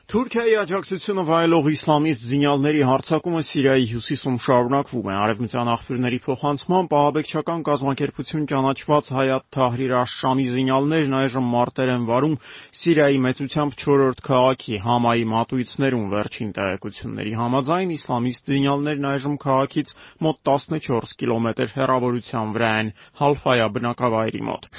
Թուրքիայի աջակցությունը վայելող իսլամիստ զինյալների հարձակումը Սիրիայի հյուսիսում շարունակվում է։ Արևմտյան աղբյուրների փոխանցմամբ ահաբեկչական կազմակերպություն ճանաչված Հայաթ Թահրիր աշ-Շամի զինյալներն այժմ մարտեր են վարում Սիրիայի մեծությամբ 4-րդ քաղաքի Համայի մատույցներում։ Վերջին տեղեկությունների համաձայն իսլամիստ զինյալներն այժմ քաղաքից մոտ 14 կիլոմետր հեռավորության վրա են Հալֆայա բնակավայրի մոտ։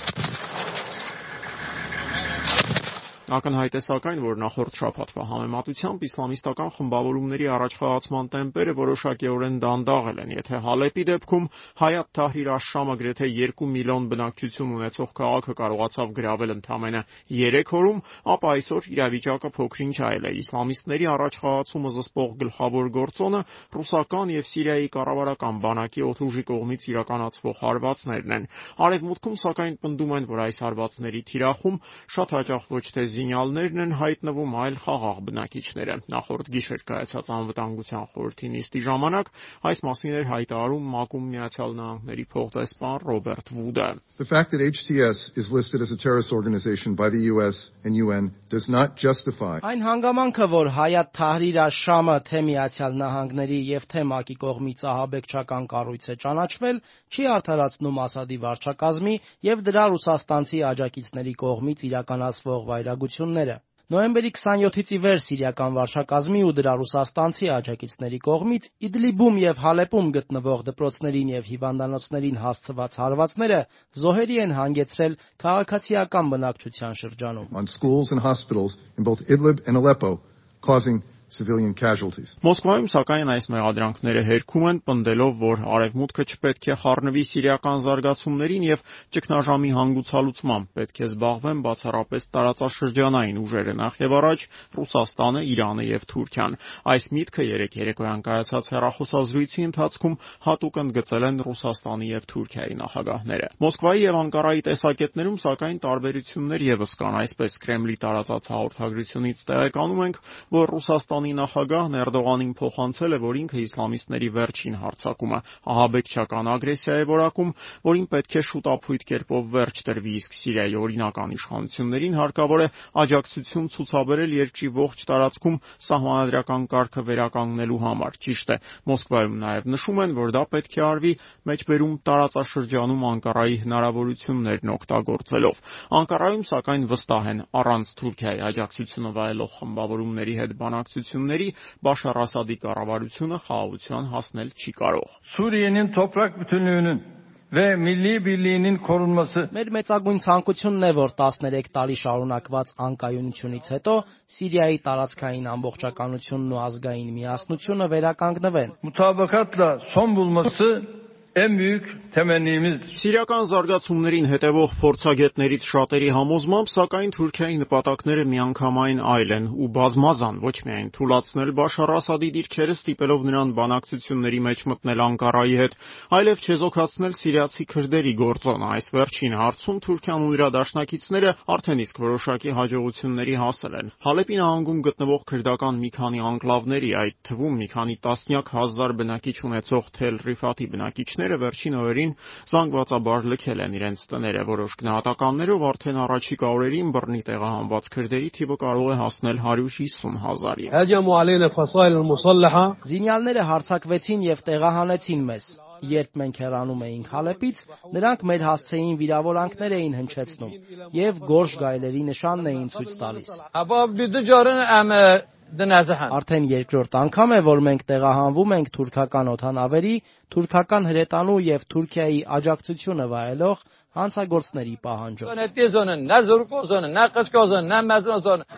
Ակնհայտ է սակայն, որ նախորդ շաբաթվա համեմատությամբ իսլամիստական խմբավորումների առաջխաղացման տեմպերը որոշակիորեն դանդաղել են։ Եթե Հալեպի դեպքում Հայաթ Թահրիր աշ-Շամը գրեթե 2 միլիոն բնակչություն ունեցող քաղաքը կարողացավ գրավել ընդամենը 3 օրում, ապա այսօր իրավիճակը փոքր-ինչ այլ է։ Իսլամիստների առաջխաղացումը զսպող գլխավոր գործոնը ռուսական եւ Սիրիայի կառավարական բանակի օդուժի կողմից իրականացվող հարվածներն են։ Արևմուտքում սակայն պնդում են, որ այս հարվածների թիրախում շատ հաճախ ոչ թե զինյալներն են հայտնվում, այլ խաղաղ բնակիչները։ Նախորդ գիշեր կայացած անվտանգության խորհրդի նիստի ժամանակ այս մասին էր հայտարարում ՄԱԿ-ում Միացյալ Նահանգների փոխդեսպան Ռոբերտ Վուդը։ The fact that HTS is listed as a terrorist organization by the US and UN does not justify. Այն հանգամանքը, որ Հայաթ Թահրիր աշ-Շամը թե Միացյալ Նահանգների եւ թե ՄԱԿ-ի կողմից ահաբեկչական կառույց է ճանաչվել, չի արդարացնում Ասադի վարչակազմի եւ դրա ռուսաստանցի աջակիցների կողմից իրականացվող վայրագությունները։ Նոյեմբերի 27-ից ի վեր սիրիական վարչակազմի ու դրա ռուսաստանցի աջակիցների կողմից Իդլիբում եւ Հալեպում գտնվող դպրոցներին եւ հիվանդանոցներին հասցված հարվածները զոհերի են հանգեցրել քաղաքացիական բնակչության շրջանում։ On schools and hospitals in both Idlib and Aleppo, causing civilian casualties. Մոսկվայում սակայն այս մեղադրանքները հերքում են, պնդելով, որ արևմուտքը չպետք է խառնվի սիրիական զարգացումներին եւ ճգնաժամի հանգուցալուծմամբ պետք է զբաղվեն բացառապես տարածաշրջանային ուժերը, նախ եւ առաջ Ռուսաստանը, Իրանը եւ Թուրքիան։ Այս միտքը երեկոյան կայացած հեռախոսազրույցի ընթացքում հատուկ ընդգծել են Ռուսաստանի եւ Թուրքիայի նախագահները։ Մոսկվայի եւ Անկարայի տեսակետներում սակայն տարբերություններ եւս կան, այսպես Կրեմլի տարածած հաղորդագրությունից տեղեկանում ենք, որ Ռուսաստանի նախագահն Էրդողանին փոխանցել է, որ ինքը իսլամիստների վերջին հարձակումը ահաբեկչական ագրեսիա է որակում, որին պետք է շուտապույտ կերպով վերջ տրվի, իսկ Սիրիայի օրինական իշխանություններին հարկավոր է աջակցություն ցուցաբերել երկրի ողջ տարածքում սահմանադրական կարգը վերականգնելու համար։ Ճիշտ է, Մոսկվայում նաև նշում են, որ դա պետք է արվի մեջբերում տարածաշրջանում Անկարայի հնարավորություններն օգտագործելով։ Անկարայում սակայն վստահ են, առանց Թուրքիայի աջակցությունը վայելող խմբավորումների հետ բանակցությունների Բաշար Ասադի կառավարությունը խաղաղության հասնել չի կարող։ Suriye'nin toprak bütünlüğünün ve milli birliğinin korunması. Մեր մեծագույն ցանկությունն է, որ 13 տարի շարունակված անկայունությունից հետո Սիրիայի տարածքային ամբողջականությունն ու ազգային միասնությունը վերականգնվեն։ Mutabakatla son bulması en büyük temennimizdir. Սիրիական զարգացումներին հետևող փորձագետներից շատերի համոզմամբ, սակայն Թուրքիայի նպատակները միանգամայն այլ են ու բազմազան, ոչ միայն թուլացնել Բաշար Ասադի դիրքերը, ստիպելով նրան բանակցությունների մեջ մտնել Անկարայի հետ, այլև չեզոքացնել սիրիացի քրդերի գործոնը։ Այս վերջին հարցում Թուրքիան ու իր դաշնակիցները արդեն իսկ որոշակի հաջողությունների հասել են։ Հալեպի նահանգում գտնվող քրդական մի քանի անկլավների, այդ թվում մի քանի տասնյակ հազար բնակիչ ունեցող Թել Ռիֆաթի բնակիչները վերջին օրերին զանգվածաբար լքել են իրենց տները։ Որոշ գնահատականներով արդեն առաջիկա օրերին բռնի տեղահանված քրդերի թիվը կարող է հասնել 150,000-ի։ Զինյալները հարձակվեցին եւ տեղահանեցին մեզ։ Երբ մենք հեռանում էինք Հալեպից, նրանք մեր հասցեին վիրավորանքներ էին հնչեցնում եւ գորշ գայլերի նշանն էին ցույց տալիս։ Արդեն երկրորդ անգամ է, որ մենք տեղահանվում ենք թուրքական օդանավերի, թուրքական հրետանու եւ Թուրքիայի աջակցությունը վայելող հանցագործների պահանջով։